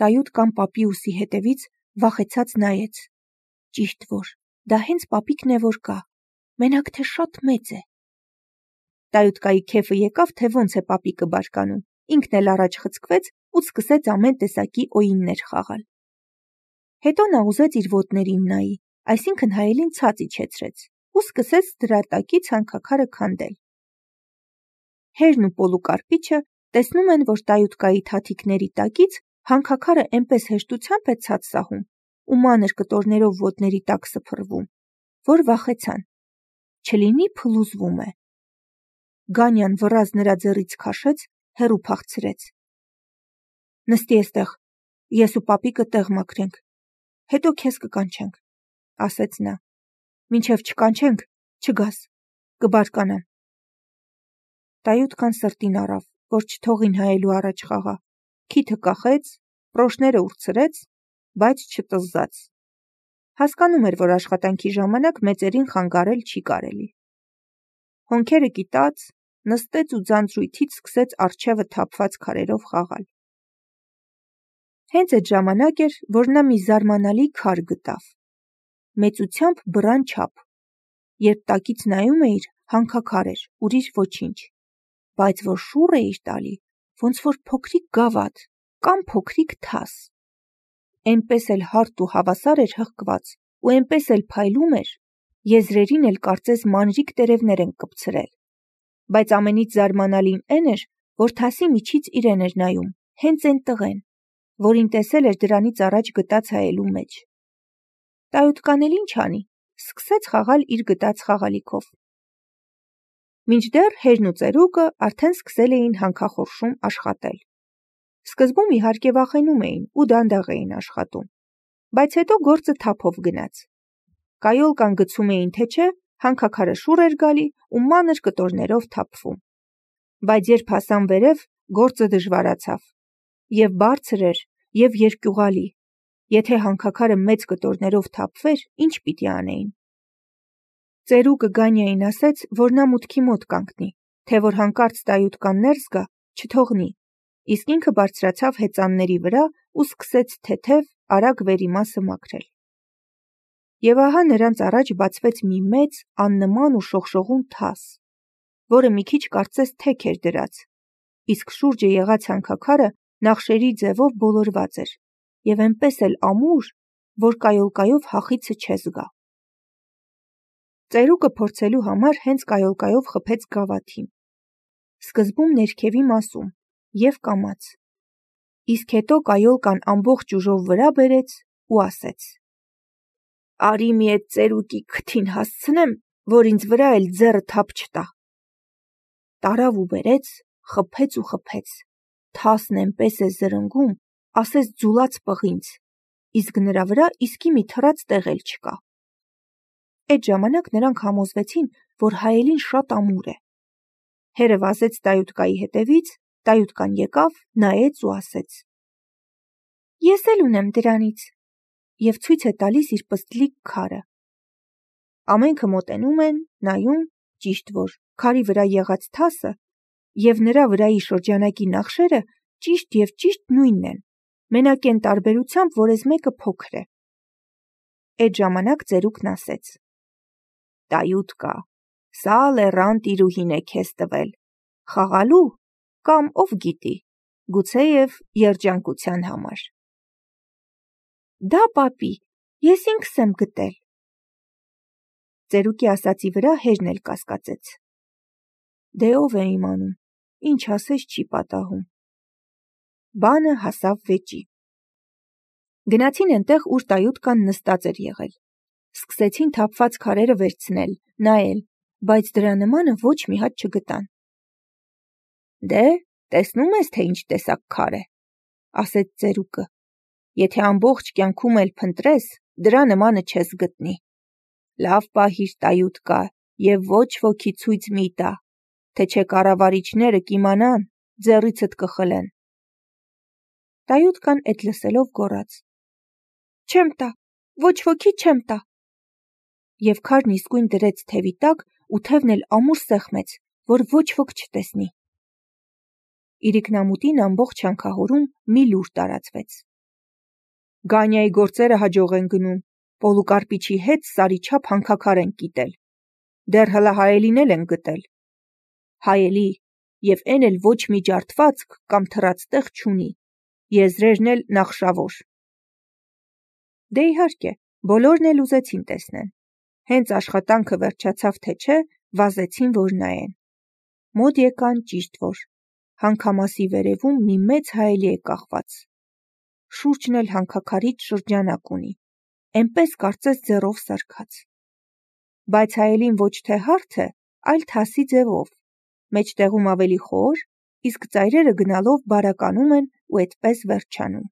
Տայուտկան պապի ուսի հետևից վախեցած նայեց. ճիշտ որ, դա հենց պապիկն է որ կա, մենակ թե շատ մեծ է։ Տայուտկայի քեֆը եկավ, թե ոնց է պապիկը բարկանում, ինքն էլ առաջ խցկվեց ու սկսեց ամեն տեսակի օյիններ խաղալ։ Հետո նա ուզեց իր ոտներին նայի, այսինքն հայելին ցած իջեցրեց ու սկսեց դրա տակից հանքաքարը քանդել։ Հերն ու Պոլուկարպիչը տեսնում են, որ Տայուտկայի թաթիկների տակից հանքաքարը այնպես հեշտությամբ է ցած սահում ու մանր կտորներով ոտների տակ սփռվում, որ վախեցան, չլինի փլուզվում է։ Գանյան վռած նրա ձեռից քաշեց, հեռու փախցրեց։ Նստի էստեղ, ես ու պապիկը տեղ մաքրենք, հետո քեզ կկանչենք, ասեց նա։ Մինչև չկանչենք, չգաս, կբարկանամ։ Տայուտկան սրտին առավ, որ չթողին հայելու առաջ խաղա, քիթը կախեց, պրոշները ուրցրեց, բայց չտզզաց։ Հասկանում էր, որ աշխատանքի ժամանակ մեծերին խանգարել չի կարելի։ Հոնքերը կիտած, նստեց ու ձանձրույթից սկսեց առջևը թափված քարերով խաղալ։ Հենց այդ ժամանակ էր, որ նա մի զարմանալի քար գտավ։ Մեծությամբ բռան չափ։ Երբ տակից նայում էիր, հանքաքար էր, ուրիշ ոչինչ։ Բայց որ շուռ էիր տալի, ոնց որ փոքրիկ գավաթ կամ փոքրիկ թաս։ Էնպես էլ հարթ ու հավասար էր հղկված ու էնպես էլ փայլում էր, եզրերին էլ կարծես մանրիկ տերևներ են կպցրել։ Բայց ամենից զարմանալին էն էր, որ թասի միջից իրեն էր նայում, հենց այն տղեն, որին տեսել էր դրանից առաջ գտած հայելու մեջ։ Տայուտկան էլ ինչ անի, սկսեց խաղալ իր գտած խաղալիքով։ Մինչդեռ հերն ու ծերուկը արդեն սկսել էին հանքախորշում աշխատել։ Սկզբում իհարկե վախենում էին ու դանդաղ էին աշխատում, բայց հետո գործը թափով գնաց։ Կայոլկան գցում էին թե չէ, հանքաքարը շուռ էր գալի ու մանր կտորներով թափվում։ Բայց երբ հասան վերև, գործը դժվարացավ։ Եվ բարձր էր, եւ երկյուղալի։ Եթե հանքաքարը մեծ կտորներով թափվեր, ինչ պիտի անեին։ Ծերուկը Գանյային ասեց, որ նա մուտքի մոտ կանգնի, թե որ հանկարծ Տայուտկան ներս գա, չթողնի, իսկ ինքը բարձրացավ հեծանների վրա ու սկսեց թեթև, արագ վերիմասը մաքրել։ Եվ ահա նրանց առաջ բացվեց մի մեծ, աննման ու շողշողուն թաս, որը մի քիչ կարծես թեք էր դրած, իսկ շուրջը եղած հանքաքարը նախշերի ձևով բոլորված էր, եւ այնպես էլ ամուր, որ կայոլկայով հախիցը չես գա։ Ծերուկը փորձելու համար հենց կայոլկայով խփեց գավաթին։ Սկզբում ներքևի մասում եւ կամաց։ Իսկ հետո կայոլկան ամբողջ ուժով վրա բերեց ու ասեց. «Արի մի այդ ծերուկի քթին հասցնեմ, որ ինձ վրա էլ ձեռը թափ չտա»։ Տարավ ու բերեց, խփեց ու խփեց։ Թասն այնպես է զրնգում, ասես ձուլած պղինձ, իսկ նրա վրա իսկի մի թռած տեղ էլ չկա։ Այդ ժամանակ նրանք համոզվեցին, որ հայելին շատ ամուր է։ Հերը վազեց Տայուտկայի հետևից, Տայուտկան եկավ, նայեց ու ասեց. «Ես էլ ունեմ դրանից» եւ ցույց է տալիս իր պստլիկ քարը։ Ամենքը մոտենում են, նայում, ճիշտ որ, քարի վրա եղած թասը եւ նրա վրայի շրջանակի նախշերը ճիշտ եւ ճիշտ նույնն են, մենակ այն տարբերությամբ, որ այս մեկը փոքր է։ Այդ ժամանակ ծերուկն ասեց. «Տայուտկա, սա լեռան տիրուհին է քեզ տվել, խաղալու կամ ով գիտի, գուցեև երջանկության համար»։ «Դա պապի, ես ինքս եմ գտել»։ Ծերուկի ասածի վրա հերն էլ կասկածեց։ Դե ով է իմանում, ինչ ասես չի պատահում։ Բանը հասավ վեճի։ Գնացին այնտեղ, ուր Տայուտկան նստած էր եղել։ Սկսեցին թափված քարերը վերցնել, նայել, բայց դրա նմանը ոչ մի հատ չգտան։ Դե, տեսնում ես, թե ինչ տեսակ քար է, ասեց ծերուկը։ Եթե ամբողջ կյանքում էլ փնտրես, դրա նմանը չես գտնի։ Լավ պահիր, Տայուտկա, եւ ոչ ոքի ցույց մի տա, թե չէ կառավարիչները կիմանան, ձեռիցդ կխլեն։ Տայուտկան այդ լսելով գոռաց. «Չեմ տա, ոչ ոքի չեմ տա»։ Եվ քարն իսկույն դրեց թևի տակ ու թևն էլ ամուր սեղմեց, որ ոչ ոք չտեսնի։ Իրիկնամուտին ամբողջ հանքահորում մի լուր տարածվեց։ Գանյայի գործերը հաջող են գնում, Պոլուկարպիչի հետ սարի չափ հանքաքար են կիտել, դեռ հլը հայելին էլ են գտել, հայելի, և էն էլ ոչ մի ջարդվածք կամ թռած տեղ չունի, եզրերն էլ նախշավոր։ Դե իհարկե, բոլորն էլ ուզեցին տեսնեն, հենց աշխատանքը վերջացավ թե չէ, վազեցին, որ նայեն։ Մոտ եկան ճիշտ որ, հանքամասի վերևում մի մեծ հայելի է կախված, շուրջն էլ հանքաքարից շրջանակ ունի, էնպես կարծես ձեռով սարքած։ Բայց հայելին ոչ թե հարթ է, այլ թասի ձևով, մեջտեղում ավելի խոր, իսկ ծայրերը գնալով բարականում են ու էդպես վերջանում։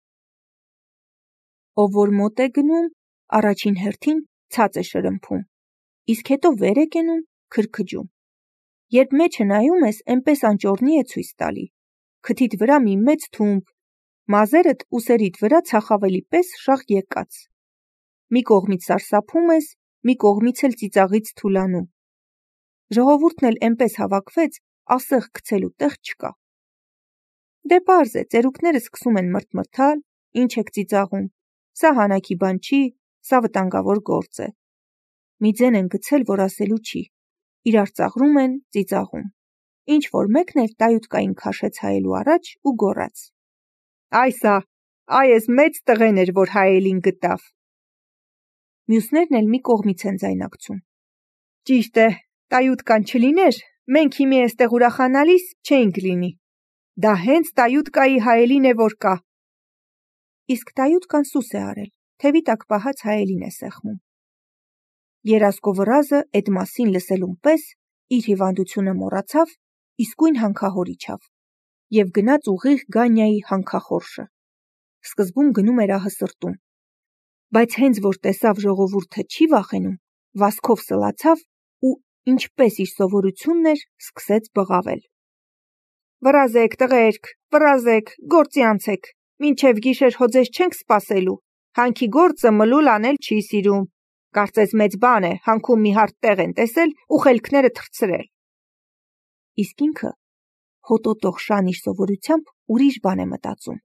Ով որ մոտ է գնում, առաջին հերթին ցած է շրմփում, իսկ հետո վեր է կենում, քրքջում։ Երբ մեջը նայում ես, էնպես անճոռնի է ցույց տալի, քթիդ վրա մի մեծ թումբ, մազերդ ուսերիդ վրա ցախավելի պես շաղ եկած։ Մի կողմից սարսափում ես, մի կողմից էլ ծիծաղից թուլանում։ Ժողովուրդն էլ էնպես հավաքվեց, ասեղ գցելու տեղ չկա։ Դե պարզ է, ծերուկները սկսում են մրթմրթալ, ինչ եք ծիծաղում, սա հանաքի բան չի, սա վտանգավոր գործ է։ Մի ձեն են գցել, որ ասելու չի, իրար ծաղրում են, ծիծաղում։ Ինչ որ մեկն էլ տայութկային քաշեց հայելու առաջ ու գոռաց. Այս մեծ տղեն էր, որ հայելին գտավ։ Մյուսներն էլ մի կողմից են ձայնարկում. Ճիշտ է, տայութկան չլիներ, մենք հիմի էստեղ ուրախանալիս չէինք լինի։ Դա հենց տայութկայի հայելին է, որ կա։ Իսկ տայութկան սուս է արել, թևի տակ պահած հայելին է սեղմում։ Երասկո վռազը էդ մասին լսելուն պես իր հիվանդությունը մոռացավ, իսկույն հանքահոր իջավ և գնաց ուղիղ Գանյայի հանքախորշը։ Սկզբում գնում էր ահը սրտում, բայց հենց որ տեսավ ժողովուրդը չի վախենում, վազքով սլացավ ու ինչպես իր սովորությունն էր, սկսեց բղավել. Վռազեք, տղերք, վռազեք, գործի անցեք, մինչև գիշեր հո ձեզ չենք սպասելու, հանքի գործը մլուլ անել չի սիրում, կարծես մեծ բան է, հանքում մի հարթ տեղ են տեսել ու խելքները թռցրել։ Իսկ ինքը հոտոտող շան իր սովորությամբ ուրիշ բան է մտածում։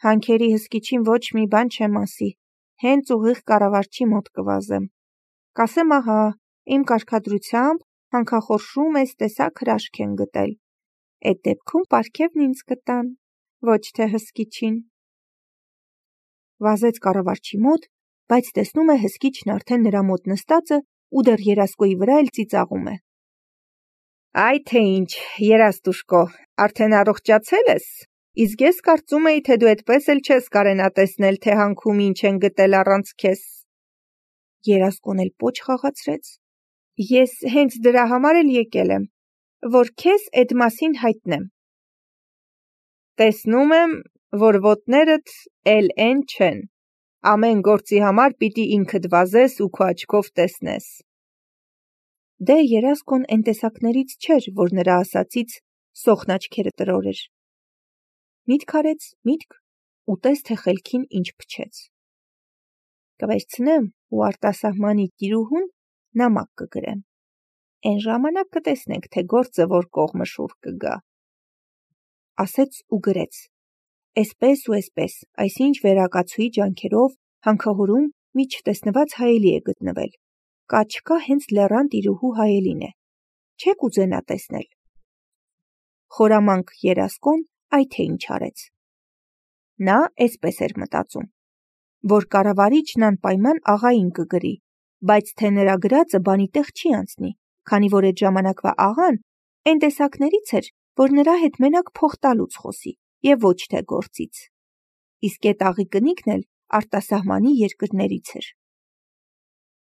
Հանքերի հսկիչին ոչ մի բան չեմ ասի, հենց ուղիղ կառավարչի մոտ կվազեմ։ Կասեմ ահա, իմ կարգադրությամբ հանքախորշում այս տեսակ հրաշք են գտել։ Էդ դեպքում պարգևն ինձ կտան, ոչ թե հսկիչին։ Վազեց կառավարչի մոտ, բայց տեսնում է հսկիչն արդեն նրա մոտ նստած է ու դեռ երասկոյի վրա էլ ծիծաղում է։ Այ թե ինչ, երաստուշկո, արդեն առողջացել ես, իսկ ես կարծում էի, թե դու այդպես էլ չես կարենա տեսնել, թե հանքում ինչ են գտել առանց քեզ։ Երասկոն էլ պոչ խաղացրեց։ Ես հենց դրա համար էլ եկել եմ, որ քեզ այդ մասին հայտնեմ։ Տեսնում եմ, որ ոտներդ էլ են չեն, ամեն գործի համար պիտի ինքդ վազես ու քո աչքով տեսնես։ Դե երասկոն էն տեսակներից չէր, որ նրա ասածից սոխն աչքերը տրորեր։ Միտք արեց, միտք, ու տես թե խելքին ինչ փչեց։ Կվերցնեմ ու արտասահմանի տիրուհուն նամակ կգրեմ։ Էն ժամանակ կտեսնենք, թե գործը որ կողմը շուռ կգա։ Ասեց ու գրեց։ Էսպես ու էսպես, այսինչ վերակացուի ջանքերով հանքահորում մի չտեսնված հայելի է գտնվել։ Կա չկա հենց լեռան տիրուհու հայելին է։ Չեք ուզենա տեսնել։ Խորամանկ երասկոն այ թե ինչ արեց։ Նա էսպես էր մտածում, որ կառավարիչն անպայման աղային կգրի, բայց թե նրա գրածը բանի տեղ չի անցնի, քանի որ այդ ժամանակվա աղան այն տեսակներից էր, որ նրա հետ մենակ փող տալուց խոսի եւ ոչ թե գործից։ Իսկ այդ աղի կնիկն էլ արտասահմանի երկրներից էր։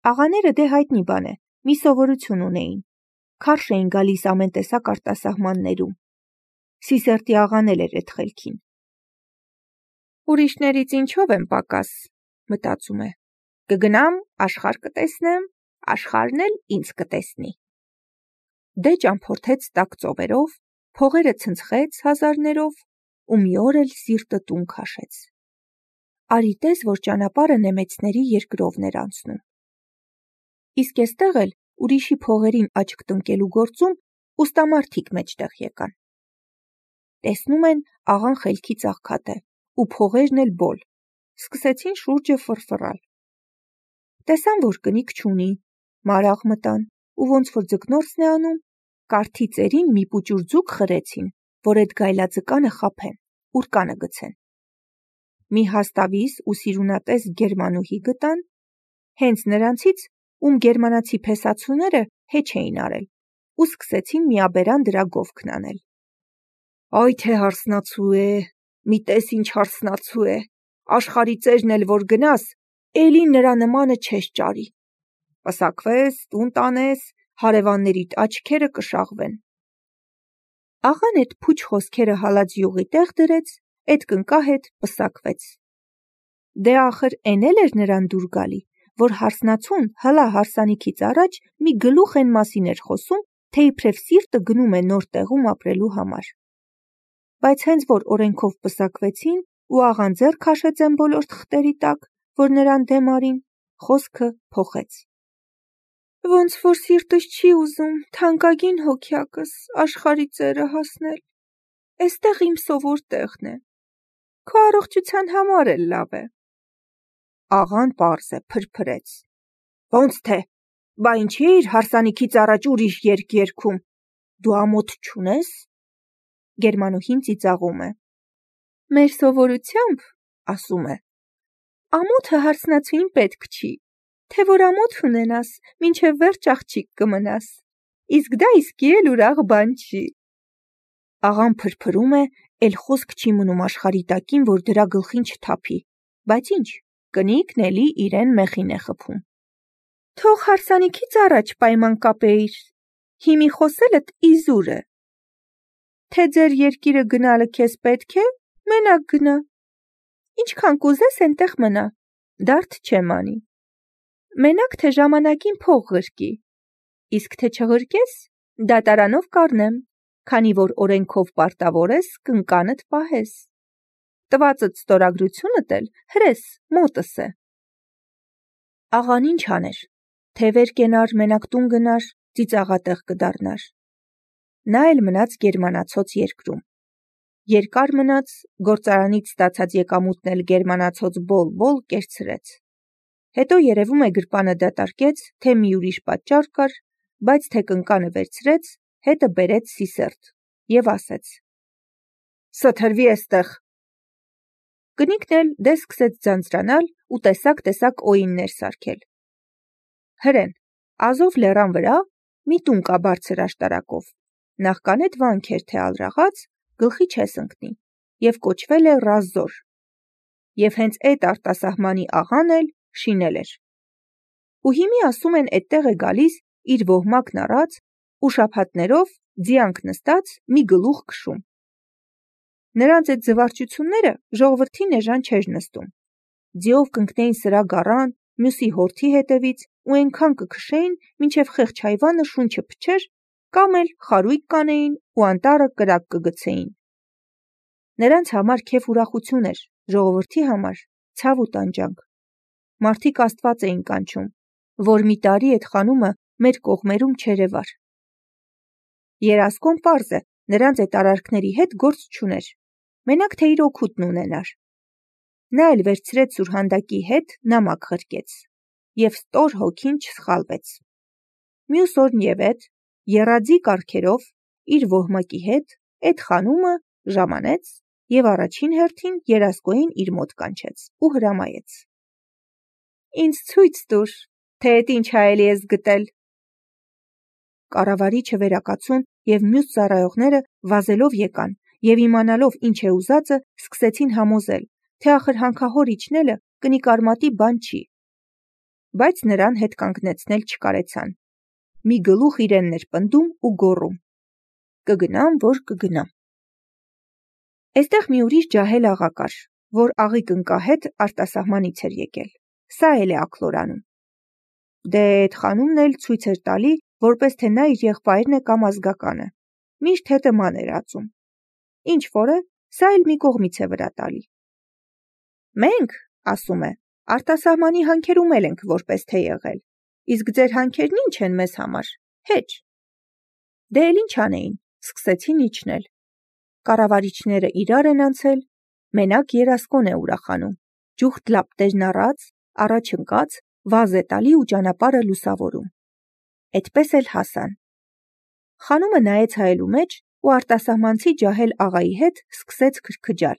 Աղաները դե հայտնի բան է, մի սովորություն ունեին։ Քարշ էին գալիս ամեն տեսակ արտասահմաններում։ Սիսերտի աղան էլ էր այդ խելքին։ Ուրիշներից ինչով եմ պակաս, մտածում է։ Կգնամ, աշխարհ կտեսնեմ, աշխարհն էլ ինձ կտեսնի։ Դե ճամփորդեց տաք ծովերով, փողերը ցնցեց հազարներով ու մի օր էլ սիրտը տուն քաշեց։ Արի տես, որ ճանապարհը նեմեցների երկրովն էր անցնում։ Իսկ էստեղ էլ ուրիշի փողերին աչք տնկելու գործում ուստամարդիկ մեջտեղ եկան։ Տեսնում են աղան խելքից աղքատ է ու փողերն էլ բոլ։ սկսեցին շուրջը ֆռֆռալ։ Տեսան, որ կնիկ չունի, մարաղ մտան, ու ոնց որ ձկնորսն է անում, կարթի ծերին մի պուճուր ձուկ խրեցին, որ էդ գայլաձկանը խաբեն, ուռկանը գցեն։ Մի հաստավիս ու սիրունատես գերմանուհի գտան, հենց նրանցից, ում գերմանացի փեսացուները հեչ էին արել, ու սկսեցին միաբերան դրա գովքն անել։ Այ թե հարսնացու է, մի տես ինչ հարսնացու է, աշխարհի ծերն էլ որ գնաս, էլի նրա նմանը չես ճարի։ Պսակվես, տուն տանես, հարևաններիդ աչքերը կշաղվեն։ Աղան էդ փուչ խոսքերը հալած յուղի տեղ դրեց, էդ կնկա հետ պսակվեց։ Դե ախր էն էլ էր նրան դուր գալի, որ հարսնացուն հլա հարսանիքից առաջ մի գլուխ են մասին էր խոսում, թե իբրև սիրտը գնում է նոր տեղում ապրելու համար։ Բայց հենց որ օրենքով պսակվեցին ու աղան ձեռ քաշեց են բոլոր թղթերի տակ, որ նրան դեմ արին, խոսքը փոխեց։ Ոնց որ սիրտս չի ուզում, թանկագին հոգյակս, աշխարհի ծերը հասնել, էստեղ իմ սովոր տեղն է, քո առողջության համար էլ լավ է։ Աղան պարզ է, փրփրեց. Ոնց թե, բա ինչի էիր հարսանիքից առաջ ուրիշ երգ երգում, դու ամոթ չունես։ Գերմանուհին ծիծաղում է. Մեր սովորությամբ, ասում է, ամոթը հարսնացուին պետք չի, թե որ ամոթ ունենաս, մինչև վերջ աղջիկ կմնաս, իսկ դա իսկի էլ ուրախ բան չի։ Աղան փրփրում է, էլ խոսք չի մնում աշխարհի տակին, որ դրա գլխին չթափի, բայց ինչ, կնիկն էլի իրեն մեխին է խփում։ Թող հարսանիքից առաջ պայման կապեիր, հիմի խոսելդ իզուր է։ Թե ձեր երկիրը գնալը քեզ պետք է, մենակ գնա։ Ինչքան կուզես էնտեղ մնա, դարդ չեմ անի։ Մենակ թե ժամանակին փող ղրկի, իսկ թե չղրկես, դատարանով կառնեմ, քանի որ օրենքով պարտավոր ես կնկանդ պահես։ Տվածդ ստորագրությունդ էլ հրես մոտս է։ Աղան ինչ աներ, թե վեր կենար, մենակ տուն գնար, ծիծաղատեղ կդառնար։ Նա էլ մնաց գերմանացոց երկրում։ Երկար մնաց, գործարանից ստացած եկամուտն էլ գերմանացոց բոլ-բոլ կերցրեց։ Հետո երևում է գրպանը դատարկեց, թե մի ուրիշ պատճառ կար, բայց թե կնկանը վերցրեց, հետը բերեց Սիսերտ եւ ասեց. Սթրվի էստեղ։ Կնիկն էլ դե սկսեց ձանձրանալ ու տեսակ օիններ սարքել։ Հրեն, Ազով լեռան վրա մի տուն կա բարձր աշտարակով, նախքան էդ վանք էր թե ալրաղաց, գլխի չես ընկնի, եւ կոչվել է Ռազոր, եւ հենց էդ արտասահմանի աղան էլ շինել էր։ Ու հիմի ասում են էդտեղ է գալիս իր ոհմակն առած ու շաբաթներով ձիանք նստած մի գլուխ քշում։ Նրանց այդ զվարճությունները ժողովրդին էժան չէր նստում։ Ձիով կընկնեին սրա գառան, մյուսի հորթի հետևից ու այնքան կքշեին, մինչև խեղճ հայվանը շունչը փչեր, կամ էլ խարույկ կանեին ու անտառը կրակ կգցեին։ Նրանց համար քեֆ ուրախություն էր, ժողովրդի համար ցավ ու տանջանք։ Մարդիկ Աստված էին կանչում, որ մի տարի այդ խանումը մեր կողմերում չերևար։ Երասկոն պարզ է, նրանց այդ արարքների հետ գործ չուներ, մենակ թե իր օգուտն ունենար։ Նա էլ վերցրեց սուրհանդակի հետ նամակ ղրկեց, և ստոր հոգին չսխալվեց։ Մյուս օրն և էդ, եռաձի կառքերով, իր ոհմակի հետ, էդ խանումը ժամանեց և առաջին հերթին Երասկոյին իր մոտ կանչեց ու հրամայեց. Ինձ ցույց տուր, թե էդ ինչ հայելի ես գտել։ Կառավարիչը վերակացուն և մյուս ծառայողները վազելով եկան և իմանալով ինչ է ուզածը, սկսեցին համոզել, թե ախր հանքահոր իջնելը կնիկարմատի բան չի, բայց նրան հետ կանգնեցնել չկարեցան։ Մի գլուխ իրենն էր պնդում ու գոռում. կգնամ, որ կգնամ։ Էստեղ մի ուրիշ ջահել աղա կար, որ աղի կնկա հետ արտասահմանից էր եկել, սա էլ է աքլորանում։ Դե էդ խանումն էլ ցույց էր տալի, որպես թե նա իր եղբայրն է կամ ազգականը, միշտ հետը ման էր ածում։ Ինչ որ է, սա էլ մի կողմից է վրա տալի։ Մենք, ասում է, արտասահմանի հանքերում էլ ենք որպես թե եղել, իսկ ձեր հանքերն ինչ են մեզ համար, հեչ։ Դե էլ ինչ անեին, սկսեցին իջնել։ Կառավարիչները իրար են անցել, մենակ Երասկոն է ուրախանում, Ջուխտ լապտերն առած, առաջ ընկած, վազ է տալի ու ճանապարհը լուսավորում։ Էդպես էլ հասան։ Խանումը նայեց հայելու մեջ ու արտասահմանցի ջահել աղայի հետ սկսեց քրքջալ։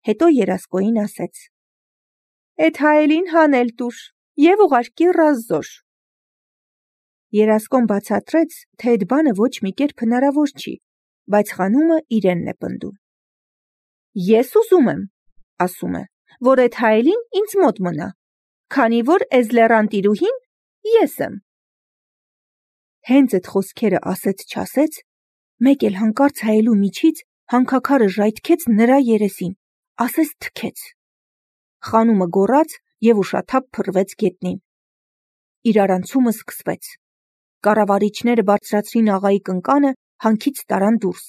Հետո երասկոյին ասեց. «Էդ հայելին հանել տուր եւ ուղարկի ռազզոր»։ Երասկոն բացատրեց, թե այդ բանը ոչ մի կերպ հնարավոր չի, բայց խանումը իրենն է պնդում։ «Ես ուզում եմ, ասում է, որ այդ հայելին ինձ մոտ մնա, քանի որ էս լեռան տիրուհին ես եմ»։ Հենց այդ խոսքերը ասեց-չասեց, մեկ էլ հանկարծ հայելու միջից հանքաքարը ժայթքեց նրա երեսին, ասես թքեց։ Խանումը գոռաց եւ ուշաթափ փռվեց գետնին։ Իրարանցումը սկսվեց։ Կառավարիչները բարձրացրին աղայի կնկանը, հանքից տարան դուրս։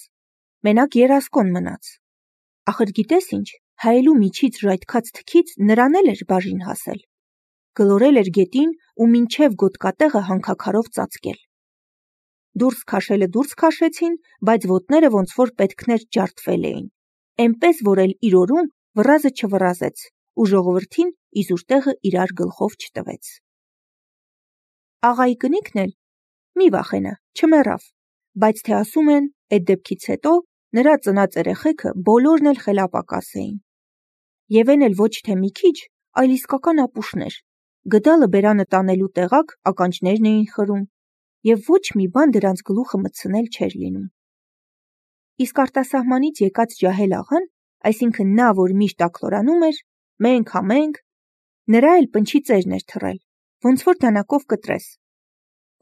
Մենակ երասկոն մնաց։ Ախր գիտես ինչ, հայելու միջից ժայթքած թքից նրան էլ էր բաժին հասել։ Գլորել էր գետին ու մինչև գոտկատեղը հանքաքարով ծածկել։ Դուրս քաշելը դուրս քաշեցին, բայց ոտները ոնց որ պետքներ ջարդվել էին։ Էնպես որ էլ իր օրում վռազը չվռազեց ու ժողովրդին իզուր տեղը իրար գլխով չտվեց։ Աղայի կնիկն էլ մի վախենա, չմեռավ, բայց թե ասում են, այդ դեպքից հետո նրա ծնած երեխեքը բոլորն էլ խելապակաս էին։ Եվ են էլ ոչ թե մի քիչ, այլ իսկական ապուշներ։ Գդալը բերանը տանելու տեղակ ականջներն էին խրում, եւ ոչ մի բան դրանց գլուխը մտցնել չէր լինում։ Իսկ արտասահմանից եկած ջահել աղան, այսինքն նա, որ միշտ ակլորանում էր, մենք համենք, նրա էլ պնչի ծերն էր թռել, ոնց որ դանակով կտրես։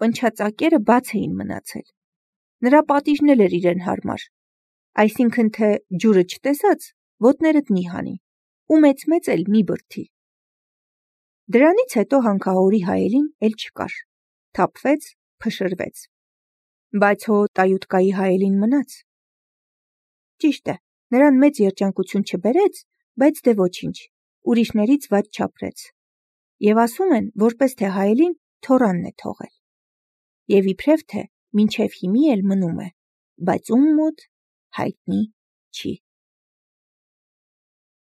Պնչածակերը բաց էին մնացել։ Նրա պատիժն էլ էր իրեն հարմար, այսինքն թե ջուրը չտեսած, ոտներդ մի հանի, ու մեծ էլ մի բրդի։ Դրանից հետո հանքահորի հայելին էլ չկար, թափվեց, փշրվեց։ Բայց հո տայութկայի հայելին մնաց։ Ճիշտ է, նրան մեծ երջանկություն չբերեց, բայց դե ոչինչ, ուրիշներից վատ չապրեց։ Եվ ասում են, որպես թե հայելին թորանն է թողել։ Եվ իբրև թե մինչև հիմի էլ մնում է, բայց ում մոտ հայտնի չի։